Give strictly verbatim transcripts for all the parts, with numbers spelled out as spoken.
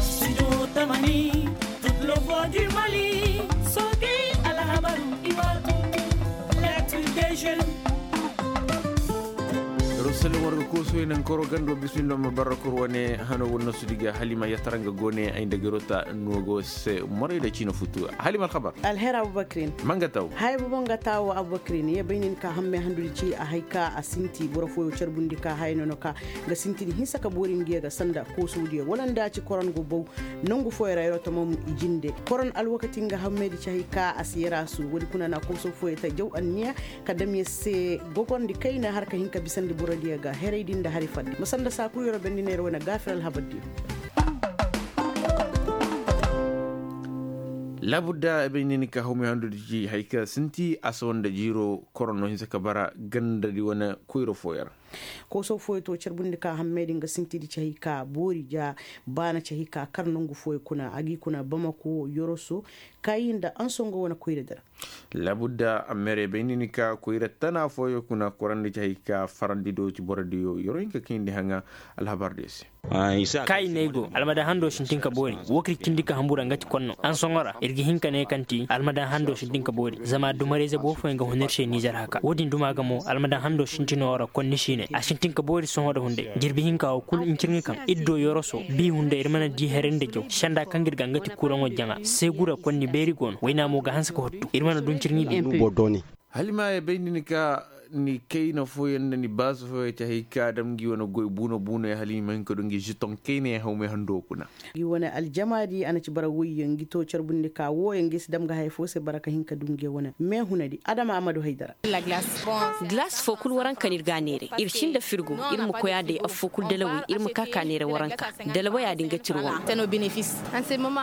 Studio Tamani, toute le voix du Mali. Soge, alhabaru, iwatu, l'actu des jeunes. Rosalin warga koosoo i naŋ koro gando bismillah ma barra kor wane hano wonno sudiga halima yattara nga gone ay nda garota nogo se moray da ciina futu. Halima alhabar. Alhera abubakirin. Manga taw. Haya bobo nga tawo abubakirin ye bay nin ka hamme handudi ci a hay ka a sinti boro foyo carbundi ka haya nono ka ga sintin hinsa ka boori ngiya ga sanda koosoo diya wala nda ci koron go bow. Nangu foyo ra yaro tamam i jinde koron alwakati nga hamme di ci hay ka a si yara su wadi kuna na koosoo foyo ta jaw anniya ka dam ya se gogondi kayna har ka hin ka bisandi borodiyo ga heray din da hari fadde ma sanda saakuru yaro bendi neera wane gaafir alhabar diyo. Laabudda ay bay ni ni ka hawmay handudi ci hay ka sinti a si wanda jiiro korono hinsa ka bara gandadi wane koyro fooyo ra. Koosoo fooyo to carbundi ka hammey din ga sinti di ci hay ka boori ja baana ci hay ka kar nangu fooyo kuna a g'i kuna bamako yoroso kaayi nda ansongo wane koyra di ra. Laabudda a meerey bay ni ni ka koyra tana fooyo kuna korandi ci hay ka farandi do ci borodiyo yoro hinka kayndi haŋa. Alhabar diyo se. Kaayi ne ay go almadan hando sintin ka boori. Wo kaŋ ir cindi ka hambura nga ti konno ansoŋo ra ir ga hin ka ne kaŋ ti almadan hando sintin ka boori zama dumarayze boro fooyaŋ ga hun ir se nizer haka wo-din duma ga mo almadan hando sintino ra konni si ne a sintin ka boori sohõ nda hunday jirbi hinka wo kul ncirŋi kaŋ ir do yoroso bi hunday ir mana di haray nda jaw senda kaŋ ga ir ga nga ti kuraŋo jaŋa seegu ra konni beeri go no wayna mo ga hanse ka hottu ir mana du ncirŋi bi. Halima ya bay ni ni ka ni kayna fooyaŋ nda ni baasu fooyaŋ ci hay ka dam ngi wane goy buuna buuna ya hala i ma hin ka du ngi žeton kayna ya hawmay hando kuna. Ngi wane aljamaadi a na ci bara woyyaŋ ngi to carbundi ka wooyaŋ ngi si dam ga haya foo se bara ka hin ka du ngi wane meehunadi adama a ma du haydara. Glass foo kul waranka no ir ga a neeray ir sinda firgo ir ma koy a day affoo kul dalawey ir ma ka ka neeray waranka. Dalawayaa din ga tir wane.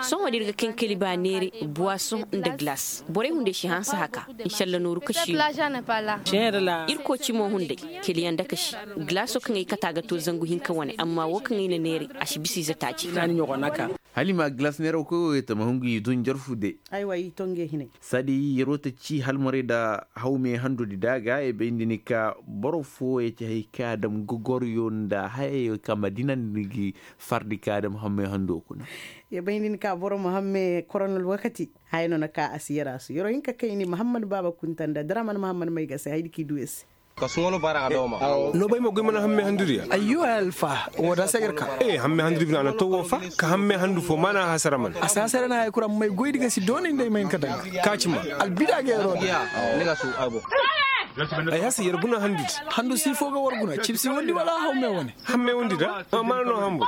Sohõ da ir ga kankali ba neeray buwasoŋ nda glass borey hunday si hanse haka. Nsalla nooru ka si no. Irkoy cimo hunday keliyaŋ nda ka si. Glaso kaŋ ay kata ga to zangu hinka wane amma wo kaŋ ay na neeray a si bisa ize taaci. Halima glas neeraw koy wo ye tama hungu i dun jarfu de. Aywa i to ngey hinay. Saadi yeroo ta ci halmaray nda hawme handudi da ga ye bayndi ni ka boro fo ye ci hay ka dam gogoryo nda hayayo ka madina ni gi fardi ka dam hamme hando kuna. Ye bayndi ni ka boro ma hamme koronal wakati. Haya no na ka a si yara su yaro hinka kayni mahammad baaba kunta nda draman mahammad may ga se haydi k'i du ye se. Ka suŋo no baara ga daw ma. No bay ma goy mana hamme handuriya. Ayyo ay alfa. Wo da sagar ka. Ee hamme handuri bina na to wo fa. Ka hamme handu fo mana hasara man a sasara na hay kura may goy diga si doonay nday may ka daŋ. Ka ci ma. Albida ga yaro. Ay hasa yar guna handudi. Handu si fo ga war guna cibsi wandi wala haw me wane. Hamme wandi da. Mana no hambu.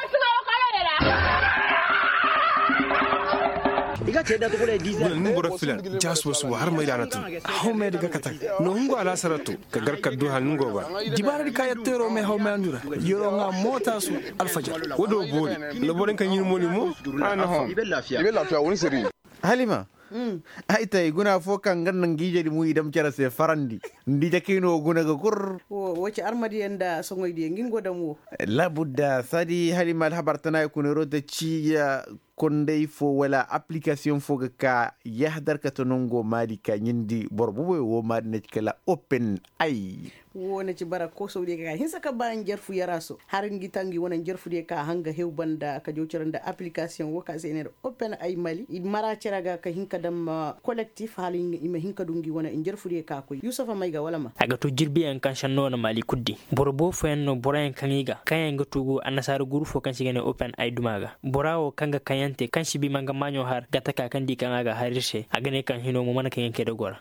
Nungura filan. Jasu wasu har mai dana tun. Haw mai daga katak. No hungu alasara to. Ka gar kaddu hal nungo ba. Dibara di ka yatto yaro mai haw mai andura. Yaro nga mota su. Alfajar. Wado bori. No borin kan yin moli mo. Ana hom. Ibe lafiya wani sirri. Halima. Ay ta i guna fo kaŋ ga naŋ ga ijedi mu i dam care se farandi. Nda i jakay no guna ga kur. Wo ci armadiyaŋ nda soŋoydiyaŋ ngi ngo dam wo. Labudda sadi halima alhabar tana i kuna ro ta ciya. Konday fo wala aplikasiyoŋ fo ga ka yahadar ka ta nango maadi ka ɲindi boro boboy wo maadi na ci kala open ay. Wo na ci bara koosawdiyo ka hinsa ka ba njarfu yaraso har ngi ta ngi wane njarfudiyo ka hanga hew banda ka jaw cere nda aplikasiyoŋ wo ka se i ne nda open ay mali i mara cere ga ka hin ka dam kolektif hala i ma hin ka du ngi wane njarfudiyo ka koy yusufa may ga wala ma. A ga to jirbiyaŋ kaŋ sanno wane mali kuddi boro boofoyaŋ no boroyaŋ kaŋ i ga kaŋ yaŋ ga tugu annasaara guru fo kaŋ se i ga ne open ay duma ga. Bora wo kaŋ ga kaŋ yaŋ te kaŋ si bi ma nga maaɲo har ga taka kaŋ di kaŋ a ga har ir se a ga ne kaŋ hino mo mana kaŋ yaŋ kay da gora.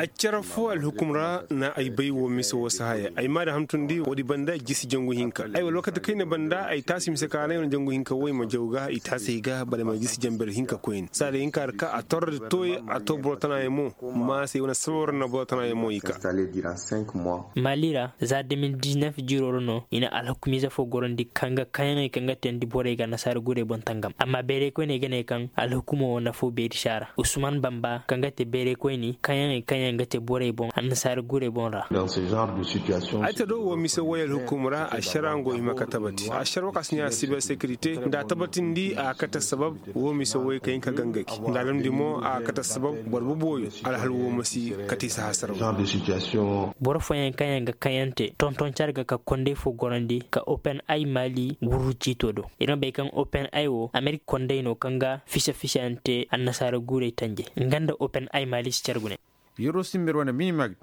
A cere fo alhukum ra na ay bay wo mise wo si haya ay ma da hamtundi woodi banda jisi jangu hinka ay wala wakati kayna banda ay taasi mise ka ra ay wane jangu hinka wo ay ma jaw ga i taasi ay ga bala ay ma jisi jamber hinka koyne saada hinka ra ka a torro da tooye a to boro tana yaŋ mo. Ma se ay wane sabab ra na boro tana yaŋ mo i ka. Mali ra za deux mille dix-neuf jiiro ra no i na alhukumiize fo gorondi kaŋ ga kaŋ yaŋey kaŋ ga teendi borey ga annasaara gurey. Amma bayray koyney ga ne kaŋ alhukumo wo na foo beeri si a ra usman bamba kaŋ ga te bayray koyni kaŋyaŋey kaŋyaŋ ga te borey boŋ annasaara guurey boŋ ra. Ay ta do wo mise woy alhukumo ra ašara nga go hima ka tabati ašara wo ka si ɲaa siber sekirite nda a tabatindi a ga kate assabab. Wo mise woy ka hin ka gangaki nda a damndi mo a ga kate assabab boro boboyo alhal wo ma si kate i si hasaraw. Boro fooyaŋ kaŋyaŋ ga kaŋyante tonton care ga ka kondey fo gorandi ka open ay maali wurru ciito do. Ir ma bay kaŋ open ay wo amerik kondey no kaŋ ga fisa fisayaŋ te annasaara guurey tanje nga nda open ay maali si care gune. Yero simber wane minimag.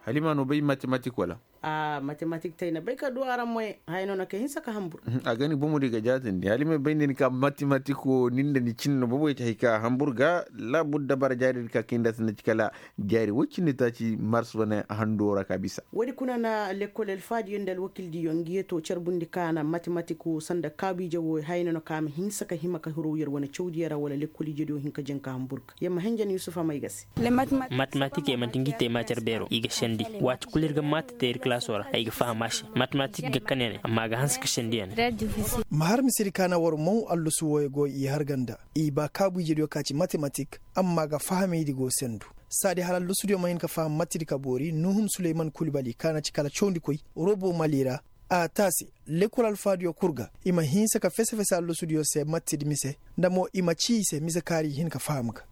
Halima no bay matematik wala? Matematik tey na bay ka du araŋ moy haya no na ka hinsa ka hambur. A ga ni bomo di ga jaatandi halima bay ni ka matematik wo ni nda ni cin no bobo ya ci hay ka hambur ga. Labudda bara jaari di ka kay nda sinda ci kala jaari wo cindi taaci mars wane hando ra ka bisa. Woodi kuna na lekkol alfaadiyo nda alwakildiyo ngi yeto carbundi ka na matematik wo sanda kaabu ije wo haya no na ka ma hinsa ka hima ka hirow yer wane cawdiyo ra wala lekkol ijediyo hin ka jaŋ ka hambur ga yer ma henjen yusufa may ga se. Matematik ya manti ngi te maacar beero i ga sendi. Waati kulu ir ga maati te ir kalaaso ra ay ga faham a se. Matematik ga kane ne amma a ga hanse ka sendi ya ne. Ma har misedi ka na war maw allusu wooyo go i har ganda i ba kaabu ijediyo ka ci matematik. Amma a ga fahamay di go sendu. Saadi hala allusudiyo ma hin ka faham matedi ka boori nuhum suleyman kulbali ka na ci kala cawndikoy robo mali ra. A taasi lekkol alfaadiyo kul ga i ma hinsa ka fese fese allusudiyo se matedi mise nda mo i ma ci i se mise kaari i hin ka faham ga.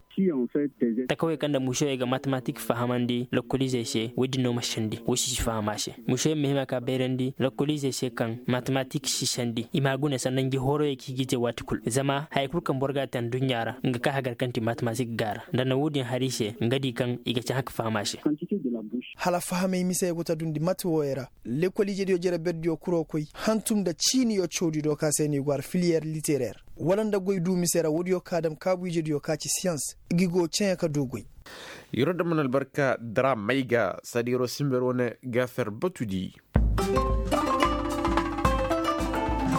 Takawey kaŋ nda mušoyey ga matematik fahamandi lokoliizey se woy din no ma sendi wo si si faham a se. Mušoyey ma hima ka bayrandi lokoliizey se kaŋ matematik si sendi i ma a gune sanda ngi horoyey kaŋ i ga i te waati kul zama haya kul kaŋ boro ga a te nduɲɲa ra nga ka hagar kaŋ ti matematik ga a ra nda na wo-din har i se nga di kaŋ i ga cahã ka faham a se. Hala fahamey mise go ta dundi mate wooyo ra. Lekkol ijediyo jere berdiyo kuro koy hantum nda ciiniyo cawdiyo do ka se no i go har filiyer literer wala nda goy du mise ra woodiyo ka dam kaabu ijediyo ka ci siyans. Ngi go ceeyaŋ ka du goy. Yero dam mana albarka dara may ga saadi yero simber wane ga fer batudi.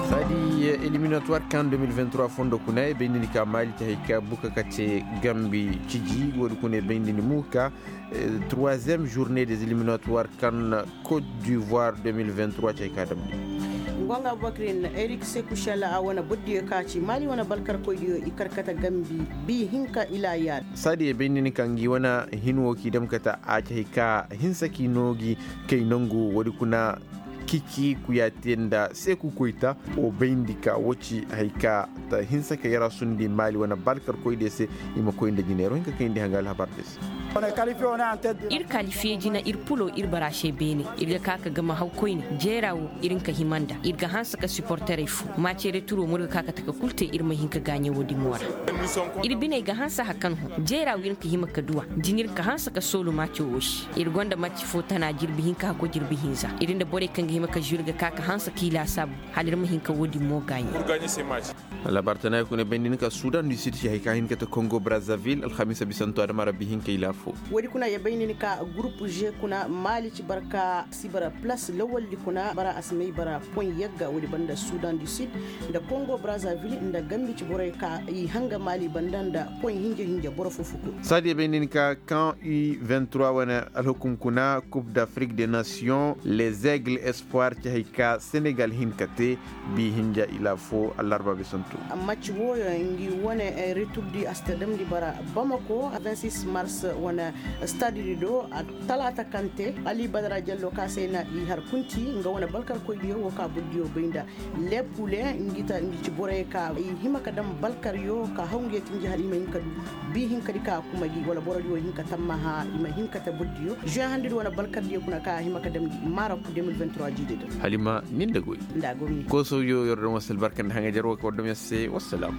Saadi eliminatuwar kan deux mille vingt-trois fondo kuna i bay nini ka maali te hay ka buka ka te gambi ciji woodi kuna i bay nini mu ka troisième journée des eliminatuwar kan côte d'ivoire deux mille vingt-trois cay ka damndi. Ngonga abubakrin erik sekushel a wane boddiyo ka ci maali wane balkarkoydiyo i karkata gambi bi hinka ila yaada. Saadi i bay nini ka ngi wane hin wo k'i dam kata a cay ka hinsa k'i noo gi kay nangu woodi kuna. Kici kuyaate nda seeku koyta wo bayndi ka wo ci hay ka ta hinsa ka yara sundi maali wane balkarkoydiyo se. I ma koy nda jineero hinka kayndi hanga alhabar de se. Ir kalifiye jina ir pulo ir bara se beene. Ir ga ka ka gama haw koyne jeera wo ir hin ka hima nda ir ga hanse ka siporterey fo maace returo mo ir ga ka ka taka kul te ir ma hin ka gaaɲe wo-din mo ra. Ir biney ga hanse hakan hõ jeera wo ir hin ka hima ka duw'a. Din ir hin ka hanse ka soolu maace wo se. Ir gonda maci fo tana jirbi hinka hakko jirbi hinza ir nda borey kaŋ ga hima ka zuru ga ka ka hanse k'i laasaabu. Hala ir ma hin ka wo-din mo gaaɲe. Alhabar tana i kuna bayndi ni ka sudan du sid ci hay ka hin ka ta kongo brazzaville alhamiisa bisanto adama rabbi hin ka i laafo. Woodi kuna ya bayndi ni ka gurup g kuna maali ci barka si bara plas lawaldi kuna bara a si may bara poy yagga woodi banda sudan du sid nda kongo brazzaville nda gambi ci borey ka i hanga maali banda nda poy hinja hinja boro fo fo kul. Saadi ya bayndi ni ka kan u vingt-trois wane alhukum kuna coupe d'afrique des nations les aigles espoir ci hay ka senegal hin ka te. Bi hinja ila fo allarba bisantu. Amma ci wooyo ngi wane returdi a si ta damndi bara bamako vingt-six mars wane stadidi do. Talaata kaŋ te ali badara jallo ka se na i har kunti nga wane balkarkoydiyo wo ka burdiyo bay nda lepule ngi ta ngi ci borey ka i hima ka daŋ balkaryo ka haw ngi ya tinji hala i ma hin ka du. Bi hinka di ka kuma gi wala borodiyo hin ka tammaha i ma hin ka ta burdiyo juin handudi wane balkardiyo kuna ka hima ka daŋ gi maara ku deux mille vingt-trois jiidi din. Halima nin da goy. Nda gomi. Koosowyo yer daŋ wasa albarka nda haŋa jar wo ka war daŋ yer se wassalam.